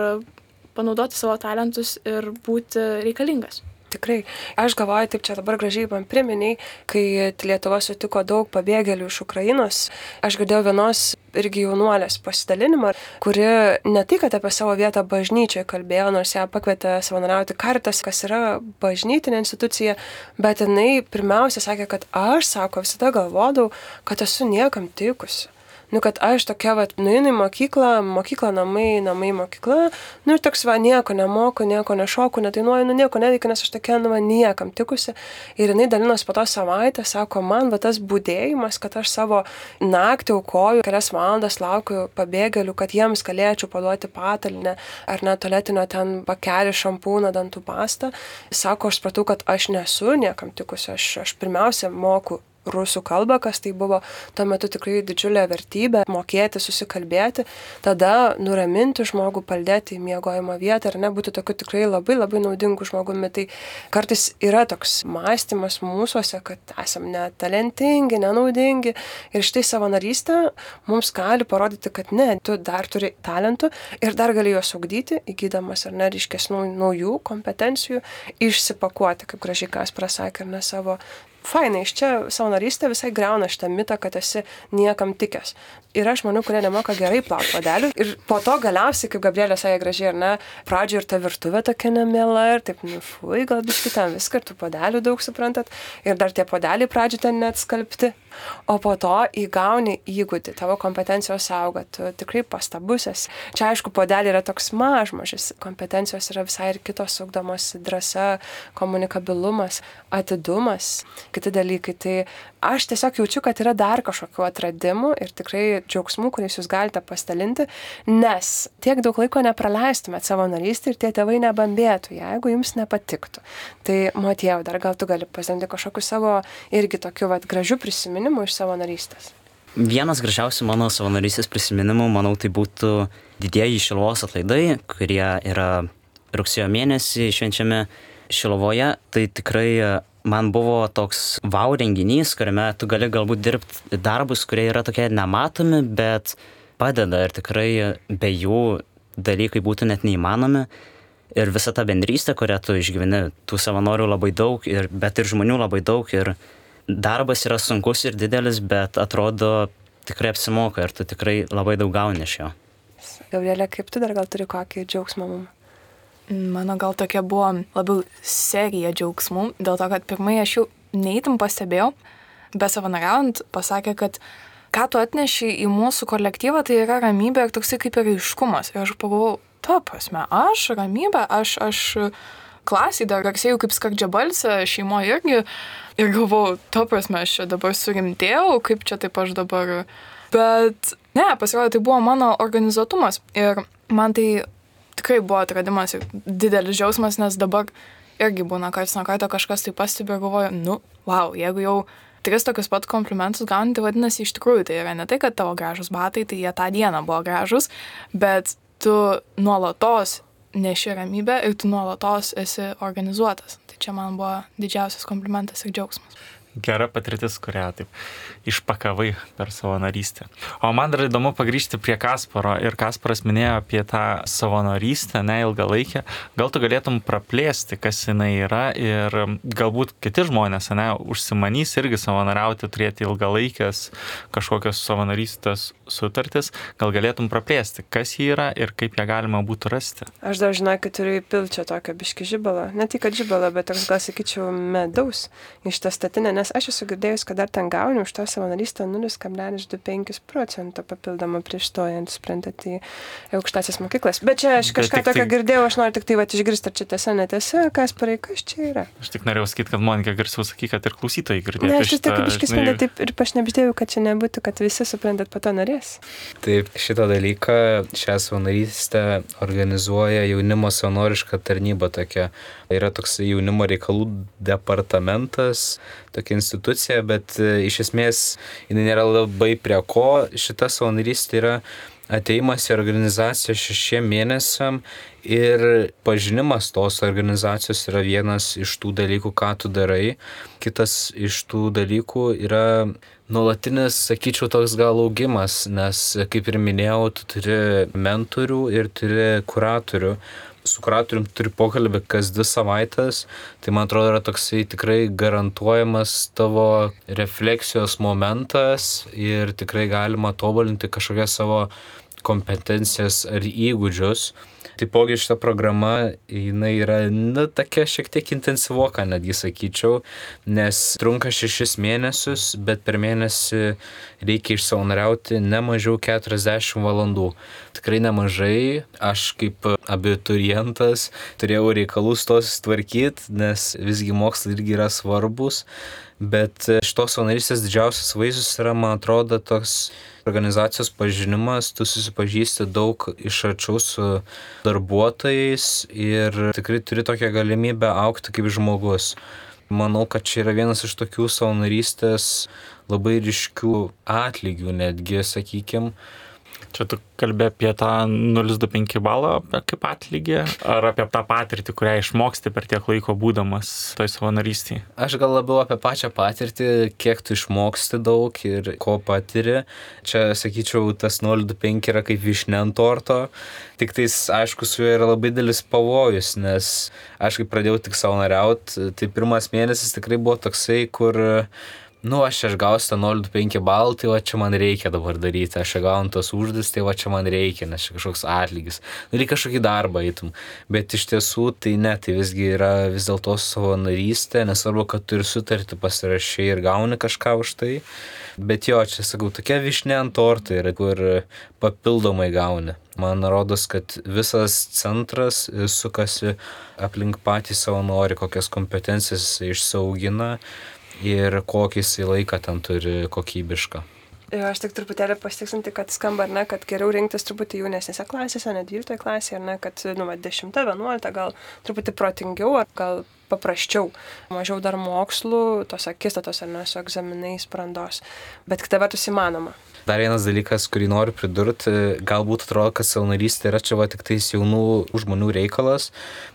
panaudoti savo talentus ir būti reikalingas. Tikrai. Aš galvoju, taip čia dabar gražiai man priminiai, kai Lietuva sutiko daug pabėgėlių iš Ukrainos, aš girdėjau vienos irgi jaunuolės pasidalinimą, kuri ne tai, kad apie savo vietą bažnyčioje kalbėjo, nors ją pakvietė savanoriauti Caritas, kas yra bažnytinė institucija, bet jinai pirmiausia sakė, kad aš, visada galvodavau, kad esu niekam tikusi. Kad aš tokia, nueinu į mokyklą, namai, mokykla, ir toks, nieko nemoku, nieko nešoku, nedainuoju, nieko neveikiu, nes aš tokia, niekam tikusi. Ir jinai dalinos po to savaitę, sako, man tas būdėjimas, kad aš savo naktį aukoju, kelias valandas laukiu pabėgėlių, kad jiems galėčiau paduoti patalinę, ar net tualetinio ten pakelį, šampūną, dantų pastą. Sako, aš supratau, kad aš nesu niekam tikusi, aš pirmiausia moku rusų kalbą, kas tai buvo tuo metu tikrai didžiulė vertybė, mokėti, susikalbėti, tada nuraminti žmogų, paldėti į miegojimo vietą, būti tokiu tikrai labai labai naudingu žmogumi. Tai kartais yra toks mąstymas mūsuose, kad esam netalentingi, nenaudingi ir štai savanorystė mums gali parodyti, kad ne, tu dar turi talentų ir dar gali juos ugdyti, įgydamas ryškesnių naujų kompetencijų, išsipakuoti, kaip gražiai Kasparas sakė, savo fainai, iš čia savanorystė visai griauna šitą mitą, kad esi niekam tikęs. Yra žmonių, kurie nemoka gerai plauti puodelių ir po to galiausiai, kaip Gabrielė sakė gražiai, pradžioje ir ta virtuvė tokia nemiela ir taip, gal biškį ten viską, ir tų puodelių daug suprantat, ir dar tie puodeliai pradžioje ten net skalbti, o po to įgauni įgūdį, tavo kompetencijos auga, tu tikrai pastabusis. Čia aišku, puodelį yra toks mažmažis, kompetencijos yra visai ir kitos ugdomos, drąsa, komunikabilumas, atidumas, kiti dalykai. Tai aš tiesiog jaučiu, kad yra dar kažkokių atradimų ir tikrai džiaugsmų, kuriais jūs galite pasidalinti, nes tiek daug laiko nepraleistumėt savanorystę ir tie tėvai nebambėtų, jeigu jums nepatiktų. Tai Motiejau, dar gal tu gali pasidalinti kažkokiu savo irgi tokiu gražių prisiminimų iš savanorystės. Vienas gražiausių mano savanorystės prisiminimų, manau, tai būtų didieji Šiluvos atlaidai, kurie yra rugsėjo mėnesį švenčiami Šiluvoje. Tai tikrai man buvo toks wow renginys, kuriame tu gali galbūt dirbti darbus, kurie yra tokie nematomi, bet padeda ir tikrai be jų dalykai būtų net neįmanomi. Ir visa ta bendrystė, kurią tu išgyveni, tų savanorių labai daug, bet ir žmonių labai daug. Ir darbas yra sunkus ir didelis, bet atrodo tikrai apsimoka ir tu tikrai labai daug gauni iš jo. Gabrielė, kaip tu dar gal turi kokį džiaugsmą mums? Mano gal tokia buvo labiau serija džiaugsmų, dėl to, kad pirmai aš jau neįtim pastebėjau, besavanoriaujant pasakė, kad ką tu atneši į mūsų kolektyvą, tai yra ramybė ir toksai kaip ir aiškumas. Ir aš pagalvojau, ta prasme, aš ramybė, aš klasiai dar garsėjau kaip skardžiabalsė, šeimoje irgi. Ir galvojau, ta prasme, aš čia dabar surimtėjau, kaip čia taip aš dabar. Bet ne, pasirodė, tai buvo mano organizuotumas. Ir man tai tikrai buvo atradimas ir didelis džiaugsmas, nes dabar irgi būna karts nuo karto kažkas tai pastebi ir galvoju, wow, jeigu jau 3 tokius pat komplimentus gauni, tai vadinasi, iš tikrųjų tai yra ne tai, kad tavo gražus batai, tai jie tą dieną buvo gražus, bet tu nuolatos neši ramybę ir tu nuolatos esi organizuotas. Tai čia man buvo didžiausias komplimentas ir džiaugsmas. Gera patirtis, kurią taip išpakavai per savanorystę. O man dar įdomu pagrįžti prie Kasparo. Ir Kasparas minėjo apie tą savanorystę, ilgalaikę. Gal tu galėtum praplėsti, kas jinai yra ir galbūt kiti žmonės, užsimanys irgi savanoriauti, turėti ilgalaikės kažkokios savanorystės sutartis. Gal galėtum praplėsti, kas ji yra ir kaip ją galima būtų rasti? Aš dar žinau, kad turiu įpilti čia tokio biškį žibalą. Ne tik kad žibalą, bet toks gal sakyčiau medaus iš tą statinę. Nes aš esu girdėjus, kad dar ten gauni už tą savanorystę 0,25% papildomą prieš stojant, suprantat, į aukštąsias mokyklas. Bet čia aš kažką tokio girdėjau, aš noriu tik tai išgirsti, ar čia tiesa, netiesa, Kasparai, kas čia yra. Aš tik norėjau sakyti, kad Monika garsiau saky, kad ir klausytojai girdėtų. Ne, aš tik biškį sprendę taip ir pašnebždėjau, kad čia nebūtų, kad visi suprantat, po to norės. Taip, šitą dalyką, šią savanorystę organizuoja jaunimo savanoriška tarnyba tokia. Yra toks jaunimo reikalų departamentas, tokia institucija, bet iš esmės jinai nėra labai prie ko. Šita savanorystė yra ateimas į organizaciją 6 mėnesiam ir pažinimas tos organizacijos yra vienas iš tų dalykų, ką tu darai. Kitas iš tų dalykų yra nuolatinis, sakyčiau, toks gal augimas, nes, kaip ir minėjau, tu turi mentorių ir turi kuratorių. Su kuratorium turi pokalbį kas 2 savaitės, tai man atrodo yra toksai tikrai garantuojamas tavo refleksijos momentas ir tikrai galima tobulinti kažkokias savo kompetencijas ar įgūdžius. Taipogi šita programa, jinai yra, tokia šiek tiek intensyvoka, netgi sakyčiau, nes trunka 6 mėnesius, bet per mėnesį reikia išsavanoriauti ne mažiau 40 valandų. Tikrai nemažai, aš kaip abiturientas turėjau reikalus tos tvarkyti, nes visgi mokslai irgi yra svarbus, bet šitos savanorystės didžiausias vaisius yra, man atrodo, toks organizacijos pažinimas, tu susipažįsti daug iš arčiau su darbuotojais ir tikrai turi tokią galimybę augti kaip žmogus. Manau, kad čia yra vienas iš tokių savanorystės labai ryškių atlygių netgi, sakykim. Čia tu kalbė apie tą 0,25 balą kaip atlygį, ar apie tą patirtį, kurią išmoksti per tiek laiko būdamas toj savanorystėje? Aš gal labiau apie pačią patirtį, kiek tu išmoksti daug ir ko patiri. Čia, sakyčiau, tas 0,25 yra kaip vyšnia ant torto, tik tais, aišku, su juo yra labai didelis pavojus, nes aš kai pradėjau tik savanoriauti, tai pirmas mėnesis tikrai buvo toksai, kur Aš gausiu tą 0,5 balų, tai va čia man reikia dabar daryti, aš gaunu tos užduotis, tai va čia man reikia, nes čia kažkoks atlygis. Reikia kažkokį darbą eitum. Bet iš tiesų tai ne, tai visgi yra vis dėlto savanorystė, nesvarbu, kad tu ir sutartį pasirašai ir gauni kažką už tai. Bet jo, čia sakau, tokia vyšnė ant torto yra, kur papildomai gauni. Man rodos, kad visas centras sukasi aplink patį savanorį, kokias kompetencijas jis išsiaugina ir kokį jis laiką ten turi kokybišką. Aš tik truputėlį pasitiksinti, kad skamba, ar ne, kad geriau rinktis truputį jaunesnėse klasėse, ne 12 klasėje, ar ne, kad 10, 11, gal truputį protingiau, ar gal paprasčiau, mažiau dar mokslų, tos akistatos, ar ne, su egzaminais brandos, bet kita vertus įmanoma. Dar vienas dalykas, kurį noriu pridurti, galbūt atrodo, kad savanorystė yra čia tik tais jaunų žmonių reikalas.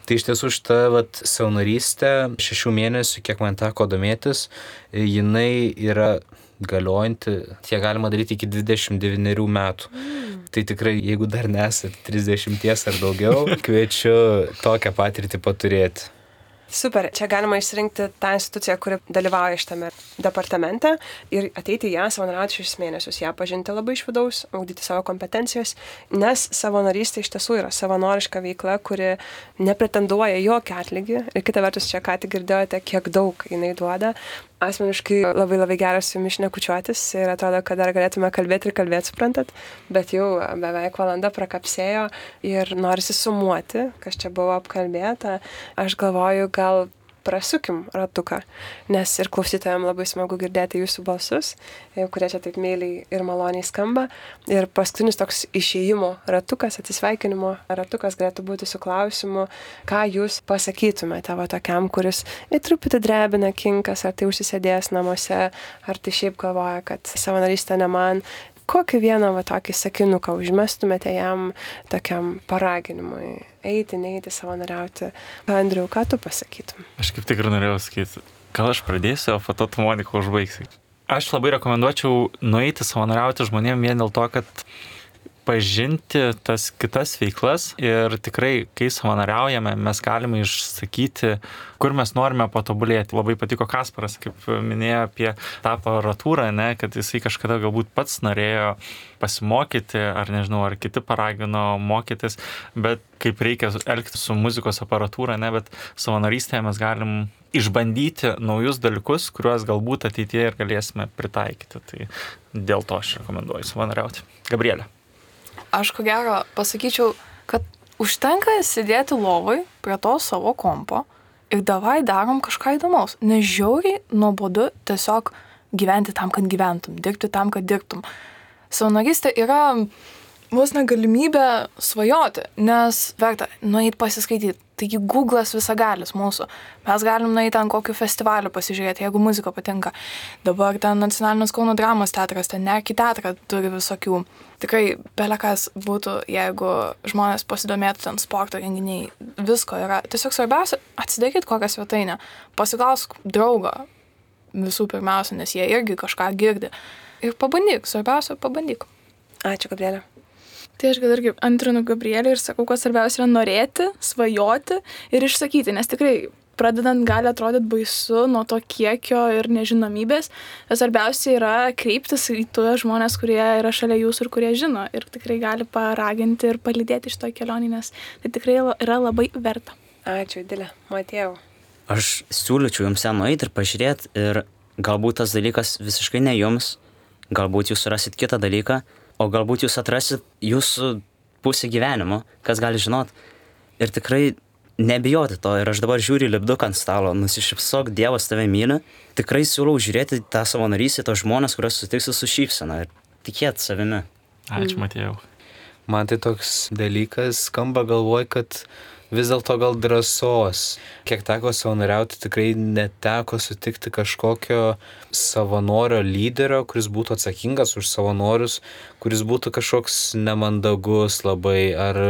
Tai iš tiesų šita savanorystė 6 mėnesių, kiek man teko domėtis, jinai yra galiojanti, tiek galima daryti iki 29 metų. Tai tikrai, jeigu dar nesat 30 ar daugiau, kviečiu tokią patirtį paturėti. Super, čia galima išsirinkti tą instituciją, kuri dalyvauja šitame departamente ir ateiti ją savanoriauti 6 mėnesius, ją pažinti labai iš vidaus, ugdyti savo kompetencijas, nes savanorystė iš tiesų yra savanoriška veikla, kuri nepretenduoja jokį atlygį ir kita vertus čia ką tik girdėjote, kiek daug jinai duoda. Asmeniškai labai geras su jumis šnekučiuotis ir atrodo, kad dar galėtume kalbėti, suprantat, bet jau beveik valanda prakapsėjo ir norisi sumuoti, kas čia buvo apkalbėta. Aš galvoju, gal prasukim ratuką, nes ir klausytojams labai smagu girdėti jūsų balsus, kurie čia taip meiliai ir maloniai skamba. Ir paskutinis toks išėjimo ratukas, atsisveikinimo ratukas galėtų būti su klausimu, ką jūs pasakytumėte tokiam, kuris truputį drebina kinkas, ar tai užsisėdėjęs namuose, ar tai šiaip galvoja, kad savanorystė ne man. Kokį vieną tokį sakinuką užmestumėte jam tokiam paraginimui? Eiti, neiti, savanoriauti. Andriau, ką tu pasakytum? Aš kaip tik ir norėjau sakyti, gal aš pradėsiu, o po to tu, Monika, užbaigsi. Aš labai rekomenduočiau nueiti savanoriauti žmonėm vien dėl to, kad pažinti tas kitas veiklas ir tikrai, kai savanoriaujame, mes galime išsakyti, kur mes norime patobulėti. Labai patiko Kasparas, kaip minėjo apie tą aparatūrą, ne, kad jisai kažkada galbūt pats norėjo pasimokyti, ar nežinau, ar kiti paragino mokytis, bet kaip reikia elgtis su muzikos aparatūra, ne, bet savanorystėje mes galim išbandyti naujus dalykus, kuriuos galbūt ateityje ir galėsime pritaikyti. Tai dėl to aš rekomenduoju savanoriauti. Gabrielė. Aš ko gero pasakyčiau, kad užtenka sėdėti lovai prie to savo kompo ir davai darom kažką įdomaus. Nežiauriai nuobodu tiesiog gyventi tam, kad gyventum, dirbti tam, kad dirbtum. Savanorystė yra vos negalimybė svajoti, nes verta nueiti pasiskaityti. Taigi Google'as visagalis mūsų. Mes galim nueiti ten kokiu festivaliu pasižiūrėti, jeigu muzika patinka. Dabar ten Nacionalinis Kauno dramos teatras, ten Nerki teatrą turi visokių. Tikrai belekas būtų, jeigu žmonės pasidomėtų ten sporto renginiai. Visko yra. Tiesiog svarbiausia atsidaryti kokią svetainę. Pasiklausk draugo visų pirmiausia, nes jie irgi kažką girdi. Ir pabandyk, svarbiausia pabandyk. Ačiū, Gabrielė. Tai aš gal irgi antrinu Gabrielį ir sakau, kad svarbiausia yra norėti, svajoti ir išsakyti, nes tikrai pradedant gali atrodyti baisu nuo to kiekio ir nežinomybės, bet svarbiausia yra kreiptis į tuos žmonės, kurie yra šalia jūsų ir kurie žino ir tikrai gali paraginti ir palydėti šitoj kelionį, nes tai tikrai yra labai verta. Ačiū, Dilė. Matėjau. Aš siūlyčiau jums ten nueiti ir pažiūrėti ir galbūt tas dalykas visiškai ne jums, galbūt jūs surasit kitą dalyką, o galbūt jūs atrasit jūsų pusę gyvenimo, kas gali žinot. Ir tikrai nebijoti to. Ir aš dabar žiūriu lipduką ant stalo, nusišypsok, Dievas tave myli. Tikrai siūlau žiūrėti tą savanorystę, tos žmonės, kuriuos sutiksi su šypsena ir tikėti savimi. Ačiū, Matėjau. Man tai toks dalykas skamba, galvoj, kad vis dėlto gal drąsos. Kiek teko savanoriauti, tikrai neteko sutikti kažkokio savanorio lyderio, kuris būtų atsakingas už savanorius, kuris būtų kažkoks nemandagus labai, ar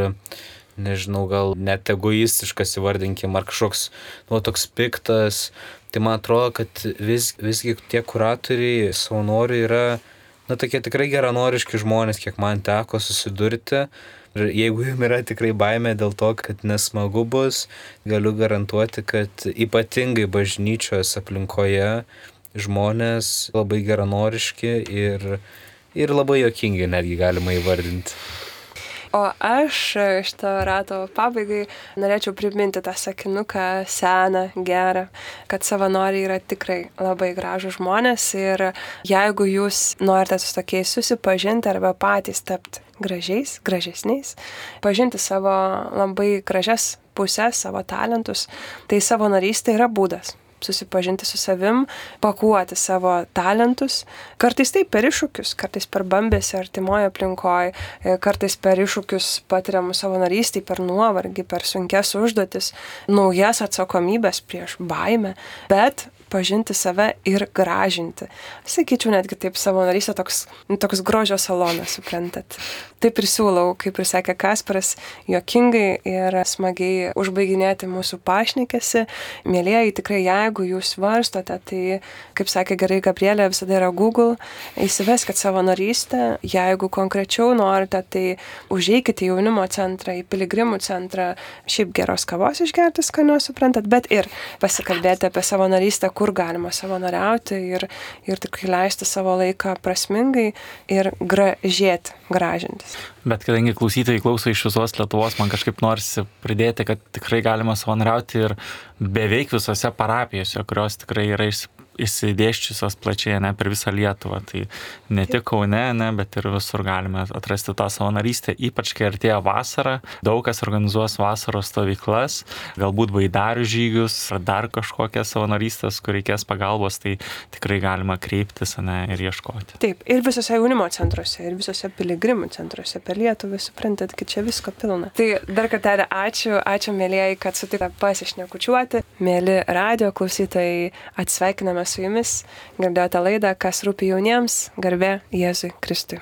nežinau, gal net egoistiškas įvardinkim, ar kažkoks toks piktas. Tai man atrodo, kad visgi tie kuratoriai, savanoriai yra tokie tikrai geranoriški žmonės, kiek man teko susidurti. Ir jeigu jums yra tikrai baimė dėl to, kad nesmagu bus, galiu garantuoti, kad ypatingai bažnyčios aplinkoje žmonės, labai geranoriški ir labai juokingi netgi galima įvardinti. O aš šito rato pabaigai norėčiau priminti tą sakinuką seną, gerą, kad savanoriai yra tikrai labai gražūs žmonės ir jeigu jūs norite su tokiais susipažinti arba patys tapti gražesniais, pažinti savo labai gražias pusės, savo talentus, tai savanorystė yra būdas susipažinti su savim, pakuoti savo talentus, kartais tai per iššūkius, kartais per bambėsi artimoje aplinkoje, kartais per iššūkius patiriamus savanorystėj, per nuovargį, per sunkes užduotis, naujas atsakomybės prieš baimę, bet pažinti save ir gražinti. Sakyčiau, netgi taip savanorystė toks grožio salonas, suprantat. Taip ir siūlau, kaip ir sakė Kasparas, juokingai ir smagiai užbaiginėti mūsų pašnekėsi. Mielieji, tikrai jeigu jūs svarstote, tai, kaip sakė gerai Gabrielė, visada yra Google, įsiveskit savanorystę. Jeigu konkrečiau norite, tai užeikite į jaunimo centrą, į piligrimų centrą, šiaip geros kavos išgerti skanios, suprantat, bet ir pasikalbėti apie savanorystę, kur galima savanoriauti ir tikrai leisti savo laiką prasmingai ir gražintis. Bet kadangi klausytojai klauso iš visos Lietuvos, man kažkaip norisi pridėti, kad tikrai galima savanoriauti ir beveik visose parapijose, kurios tikrai yra išsidėščiusios plačiai, ne, per visą Lietuvą. Tai ne tik Kaune, ne, bet ir visur galime atrasti tą savanorystę, ypač kai artėja vasara. Daug kas organizuos vasaros stovyklas, galbūt baidarių žygius ar dar kažkokias savanorystės, kur reikės pagalbos, tai tikrai galima kreiptis, ne, ir ieškoti. Taip, ir visose jaunimo centruose, ir visose piligrimų centruose per Lietuvą, suprantat, kad čia visko pilna. Tai dar kartelį ačiū mielieji, kad sutikote pasišnekučiuoti. Mieli radijo klausytojai, atsveikiname su jumis. Girdėjote laidą Kas rūpi jauniems, garbė Jėzui Kristui.